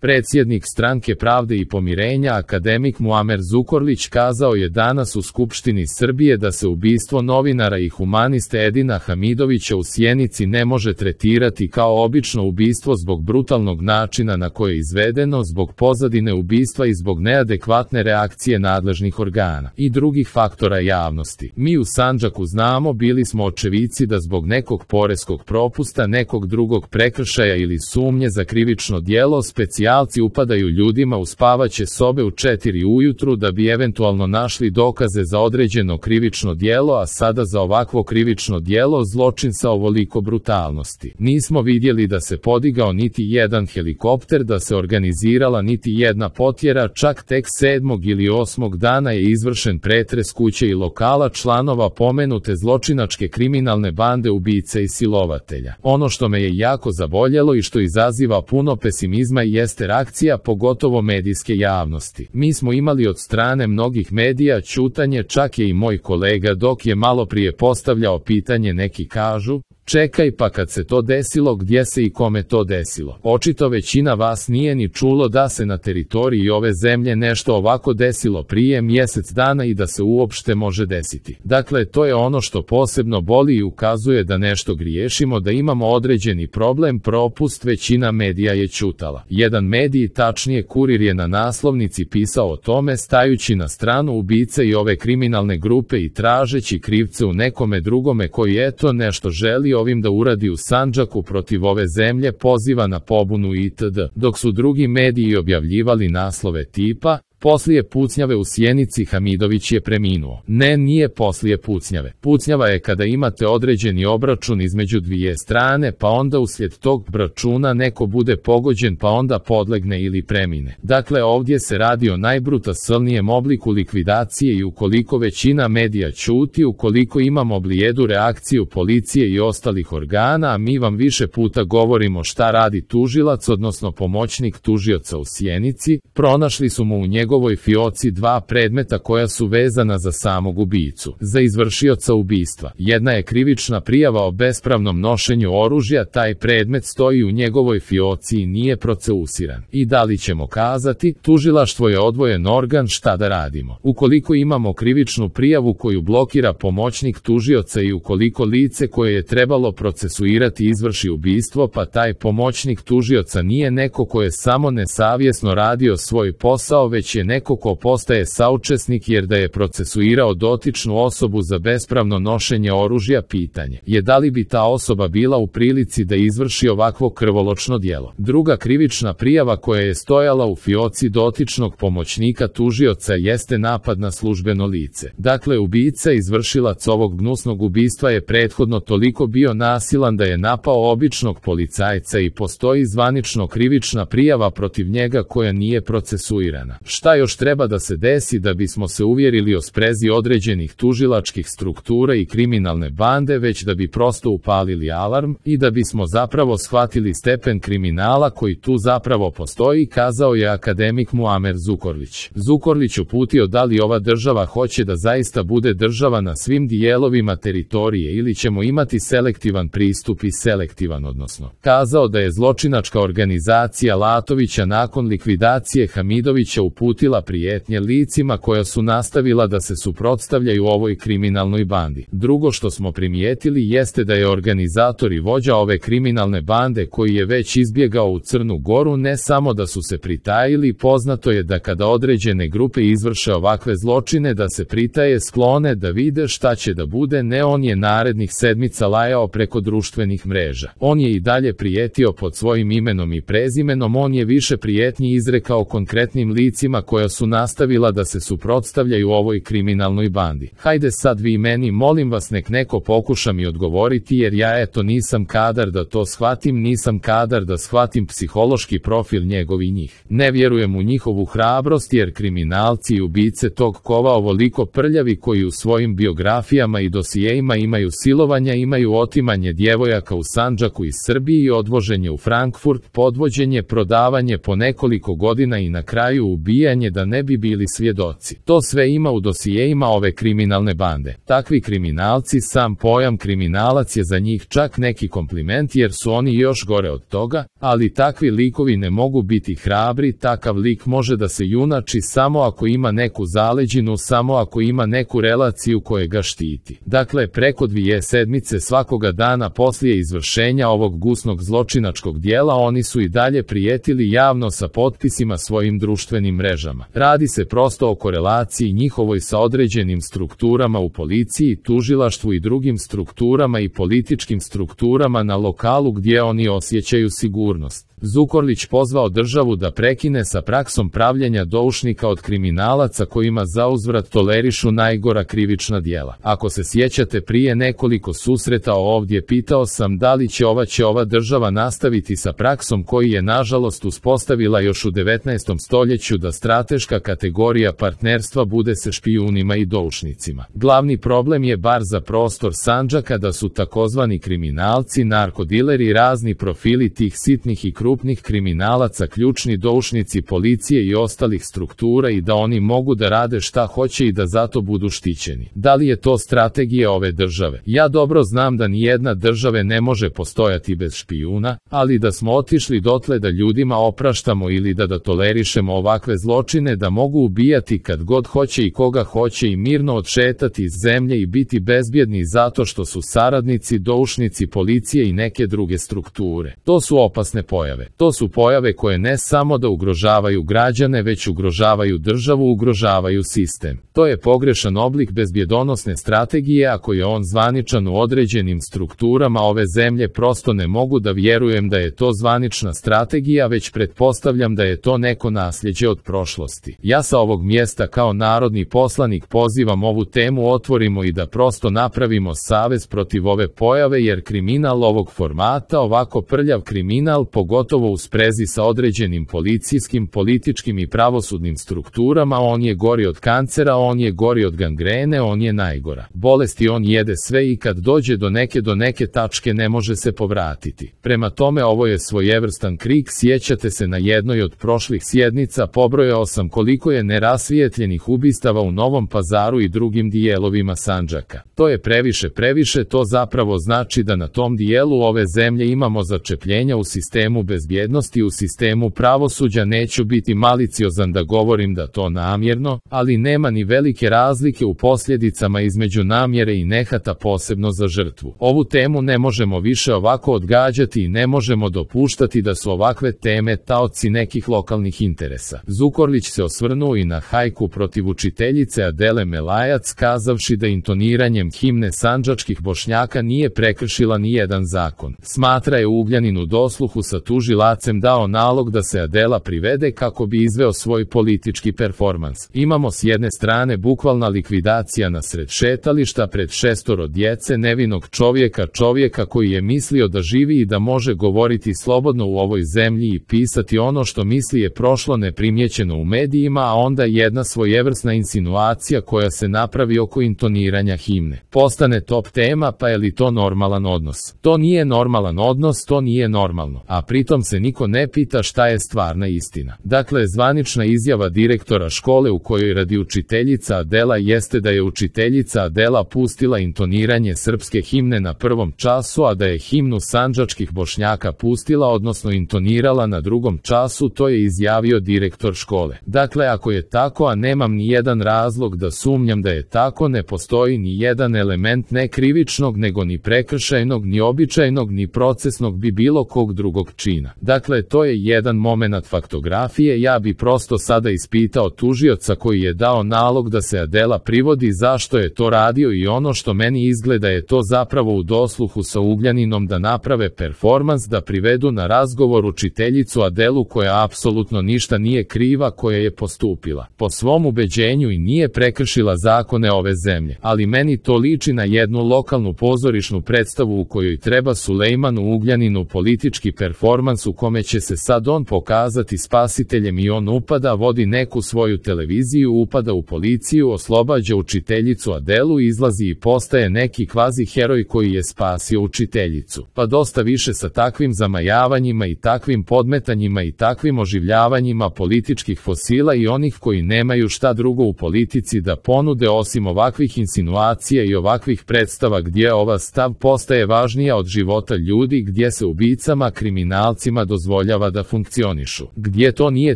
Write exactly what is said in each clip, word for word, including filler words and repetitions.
Predsjednik Stranke pravde i pomirenja akademik Muamer Zukorlić kazao je danas u Skupštini Srbije da se ubistvo novinara i humaniste Edina Hamidovića u Sjenici ne može tretirati kao obično ubistvo zbog brutalnog načina na koje je izvedeno, zbog pozadine ubistva i zbog neadekvatne reakcije nadležnih organa i drugih faktora javnosti. Mi u Sandžaku znamo, bili smo očevici da zbog nekog poreskog propusta, nekog drugog prekršaja ili sumnje za krivično djelo specijalci upadaju ljudima u spavaće sobe u četiri ujutru da bi eventualno našli dokaze za određeno krivično djelo, a sada za ovakvo krivično djelo zločin sa ovoliko brutalnosti. Nismo vidjeli da se podigao niti jedan helikopter, da se organizirala niti jedna potjera, čak tek sedmog ili osmog dana je izvršen pretres kuće i lokala članova pomenute zločinačke kriminalne bande ubice i silovatelja. Ono što me je jako zaboljelo i što izaziva puno pesimizma jeste reakcija pogotovo medijske javnosti. Mi smo imali od strane mnogih medija ćutanje, čak je i moj kolega dok je malo prije postavljao pitanje, neki kažu: čekaj, pa kad se to desilo, gdje se i kome to desilo? Očito većina vas nije ni čulo da se na teritoriji ove zemlje nešto ovako desilo prije mjesec dana i da se uopšte može desiti. Dakle, to je ono što posebno boli i ukazuje da nešto griješimo, da imamo određeni problem, propust. Većina medija je ćutala. Jedan medij, tačnije Kurir, je na naslovnici pisao o tome, stajući na stranu ubice i ove kriminalne grupe i tražeći krivce u nekome drugome koji eto nešto želi ovim da uradi u Sandžaku protiv ove zemlje, poziva na pobunu itd. Dok su drugi mediji objavljivali naslove tipa: poslije pucnjave u Sjenici Hamidović je preminuo. Ne, nije poslije pucnjave. Pucnjava je kada imate određeni obračun između dvije strane, pa onda uslijed tog obračuna neko bude pogođen, pa onda podlegne ili premine. Dakle, ovdje se radi o najbrutalnijem obliku likvidacije i ukoliko većina medija ćuti, ukoliko imamo blijedu reakciju policije i ostalih organa, a mi vam više puta govorimo šta radi tužilac, odnosno pomoćnik tužioca u Sjenici, pronašli su mu u njegovom njegovoj fioci dva predmeta koja su vezana za samog ubicu, za izvršioca ubistva. Jedna je krivična prijava o bespravnom nošenju oružja, taj predmet stoji u njegovoj fioci i nije proceusiran. I da li ćemo kazati, tužilaštvo je odvojen organ, šta da radimo? Ukoliko imamo krivičnu prijavu koju blokira pomoćnik tužioca i ukoliko lice koje je trebalo procesuirati izvrši ubistvo, pa taj pomoćnik tužioca nije neko ko je samo nesavjesno radio svoj posao, već je neko ko postaje saučesnik jer da je procesuirao dotičnu osobu za bespravno nošenje oružja, pitanje je da li bi ta osoba bila u prilici da izvrši ovakvo krvoločno djelo. Druga krivična prijava koja je stojala u fioci dotičnog pomoćnika tužioca jeste napad na službeno lice. Dakle, ubica, izvršilac ovog gnusnog ubistva je prethodno toliko bio nasilan da je napao običnog policajca i postoji zvanično krivična prijava protiv njega koja nije procesuirana. Šta još treba da se desi da bismo se uvjerili o sprezi određenih tužilačkih struktura i kriminalne bande, već da bi prosto upalili alarm i da bismo zapravo shvatili stepen kriminala koji tu zapravo postoji, kazao je akademik Muamer Zukorlić. Zukorlić uputio da li ova država hoće da zaista bude država na svim dijelovima teritorije ili ćemo imati selektivan pristup i selektivan odnosno. Kazao da je zločinačka organizacija Latovića nakon likvidacije Hamidovića uputila prijetnje licima koja su nastavila da se suprotstavljaju ovoj kriminalnoj bandi. Drugo što smo primijetili jeste da je organizator i vođa ove kriminalne bande koji je već izbjegao u Crnu Goru, ne samo da su se pritajili, poznato je da kada određene grupe izvrše ovakve zločine da se pritaje, sklone da vide šta će da bude, ne, on je narednih sedmica lajao preko društvenih mreža. On je i dalje prijetio pod svojim imenom i prezimenom, on je više prijetnji izrekao konkretnim licima koja su nastavila da se suprotstavljaju ovoj kriminalnoj bandi. Hajde sad vi meni, molim vas, nek neko pokuša mi odgovoriti jer ja eto nisam kadar da to shvatim, nisam kadar da shvatim psihološki profil njegov i njih. Ne vjerujem u njihovu hrabrost jer kriminalci i ubice tog kova ovoliko prljavi koji u svojim biografijama i dosijejima imaju silovanja, imaju otimanje djevojaka u Sandžaku iz Srbije i odvoženje u Frankfurt, podvođenje, prodavanje po nekoliko godina i na kraju ubijanje ubijanje da ne bi bili svjedoci. To sve ima u dosijeima ove kriminalne bande. Takvi kriminalci, sam pojam kriminalac je za njih čak neki kompliment jer su oni još gore od toga, ali takvi likovi ne mogu biti hrabri, takav lik može da se junači samo ako ima neku zaleđinu, samo ako ima neku relaciju koja ga štiti. Dakle, preko dvije sedmice svakoga dana poslije izvršenja ovog gnusnog zločinačkog dijela oni su i dalje prijetili javno sa potpisima svojim društvenim mrežama. Radi se prosto o korelaciji njihovoj sa određenim strukturama u policiji, tužilaštvu i drugim strukturama i političkim strukturama na lokalu gdje oni osjećaju sigurnost. Zukorlić pozvao državu da prekine sa praksom pravljenja doušnika od kriminalaca kojima zauzvrat tolerišu najgora krivična djela. Ako se sjećate, prije nekoliko susreta ovdje pitao sam da li će ova će ova država nastaviti sa praksom koji je nažalost uspostavila još u devetnaestom stoljeću da strateška kategorija partnerstva bude sa špijunima i doušnicima. Glavni problem je bar za prostor Sandžaka da su takozvani kriminalci, narkodileri, razni profili tih sitnih i krupnih kriminalaca ključni doušnici policije i ostalih struktura i da oni mogu da rade šta hoće i da zato budu štićeni. Da li je to strategija ove države? Ja dobro znam da nijedna država ne može postojati bez špijuna, ali da smo otišli dotle da ljudima opraštamo ili da da tolerišemo ovakve zločine da mogu ubijati kad god hoće i koga hoće i mirno odšetati iz zemlje i biti bezbjedni zato što su saradnici, doušnici policije i neke druge strukture. To su opasne pojave. To su pojave koje ne samo da ugrožavaju građane, već ugrožavaju državu, ugrožavaju sistem. To je pogrešan oblik bezbjedonosne strategije, ako je on zvaničan u određenim strukturama ove zemlje, prosto ne mogu da vjerujem da je to zvanična strategija, već pretpostavljam da je to neko nasljeđe od prošlosti. Ja sa ovog mjesta kao narodni poslanik pozivam ovu temu otvorimo i da prosto napravimo savez protiv ove pojave, jer kriminal ovog formata, ovako prljav kriminal, pogotovo u sprezi sa određenim policijskim, političkim i pravosudnim strukturama, on je gori od kancera, on je gori od gangrene, on je najgora bolest i on jede sve i kad dođe do neke do neke tačke ne može se povratiti. Prema tome ovo je svojevrstan krik. Sjećate se, na jednoj od prošlih sjednica pobrojao sam koliko je nerasvijetljenih ubistava u Novom Pazaru i drugim dijelovima Sandžaka. To je previše previše, to zapravo znači da na tom dijelu ove zemlje imamo začepljenja u sistemu bezbjednosti, u sistemu pravosuđa. Neću biti maliciozan da govorim da to namjerno, ali nema ni velike razlike u posljedicama između namjere i nehata, posebno za žrtvu. Ovu temu ne možemo više ovako odgađati i ne možemo dopuštati da su ovakve teme taoci nekih lokalnih interesa. Zukorlić se osvrnuo i na hajku protiv učiteljice Adele Melajac, kazavši da intoniranjem himne sandžačkih Bošnjaka nije prekršila ni jedan zakon. Smatra je Ugljanin u dosluhu sa tužilacem dao nalog da se Adela privede kako bi izveo svoj politički performans. Imamo s jedne strane bukvalna likvidacija na sred šetališta pred šestoro djece, nevinog čovjeka, čovjeka koji je mislio da živi i da može govoriti slobodno u ovoj zemlji i pisati ono što misli je prošlo neprimjećeno u medijima, a onda jedna svojevrsna insinuacija koja se napravi oko intoniranja himne. Postane top tema, pa je li to normalan odnos? To nije normalan odnos, to nije normalno, a pritom se niko ne pita šta je stvarna istina. Dakle, zvanična izjava direktora škole u kojoj radi učiteljica Adela jeste da je učiteljica Adela pustila intoniranje srpske himne na prvom času, a da je himnu sandžačkih Bošnjaka pustila, odnosno intonirala na drugom času, to je izjavio direktor škole. Dakle, ako je tako, a nemam ni jedan razlog da sumnjam da je tako, ne postoji ni jedan element ne krivičnog, nego ni prekršajnog, ni običajnog, ni procesnog bi bilo kog drugog čina. Dakle, to je jedan momenat faktografije. Ja bi prosto sada ispitao tužioca koji je dao nalog da se Adela privodi zašto je to radio i ono što meni izgleda je to zapravo u dosluhu sa Ugljaninom da naprave performans, da privedu na razgovor učiteljicu Adelu koja apsolutno ništa nije kriva, koja je postupila po svom ubeđenju i nije prekršila zakone ove zemlje. Ali meni to liči na jednu lokalnu pozorišnu predstavu u kojoj treba Sulejmanu Ugljaninu politički performans performans u kome će se sad on pokazati spasiteljem i on upada, vodi neku svoju televiziju, upada u policiju, oslobađa učiteljicu Adelu, izlazi i postaje neki kvazi heroj koji je spasio učiteljicu. Pa dosta više sa takvim zamajavanjima i takvim podmetanjima i takvim oživljavanjima političkih fosila i onih koji nemaju šta drugo u politici da ponude osim ovakvih insinuacija i ovakvih predstava gdje ova stav postaje važnija od života ljudi, gdje se ubicama, kriminalcima dozvoljava da funkcionišu, gdje to nije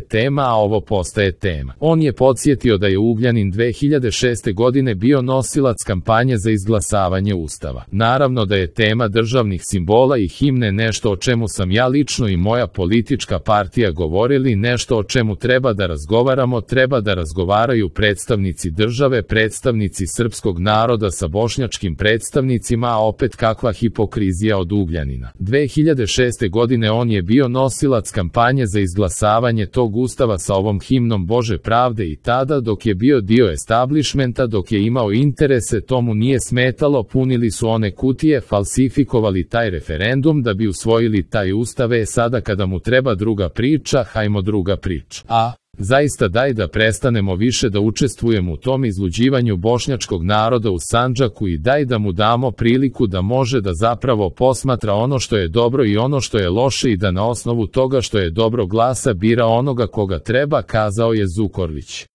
tema, a ovo postaje tema. On je podsjetio da je Ugljanin dve hiljade šeste godine bio nosilac kampanje za izglasavanje Ustava. Naravno da je tema državnih simbola i himne nešto o čemu sam ja lično i moja politička partija govorili, nešto o čemu treba da razgovaramo, treba da razgovaraju predstavnici države, predstavnici srpskog naroda sa bošnjačkim predstavnicima, a opet kakva hipokrizija od Ugljanina. dve hiljade šeste godine on je bio nosilac kampanje za izglasavanje tog Ustava sa ovom himnom Bože pravde i tada dok je bio dio establishmenta, dok je imao interese, tomu nije smetalo, punili su one kutije, falsifikovali taj referendum da bi usvojili taj Ustave. Sada kada mu treba druga priča, hajmo druga priča. A zaista daj da prestanemo više da učestvujemo u tom izluđivanju bošnjačkog naroda u Sandžaku i daj da mu damo priliku da može da zapravo posmatra ono što je dobro i ono što je loše i da na osnovu toga što je dobro glasa bira onoga koga treba, kazao je Zukorlić.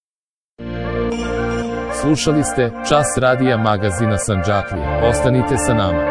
Slušali ste Čas radija magazina Sandžaklija. Ostanite sa nama.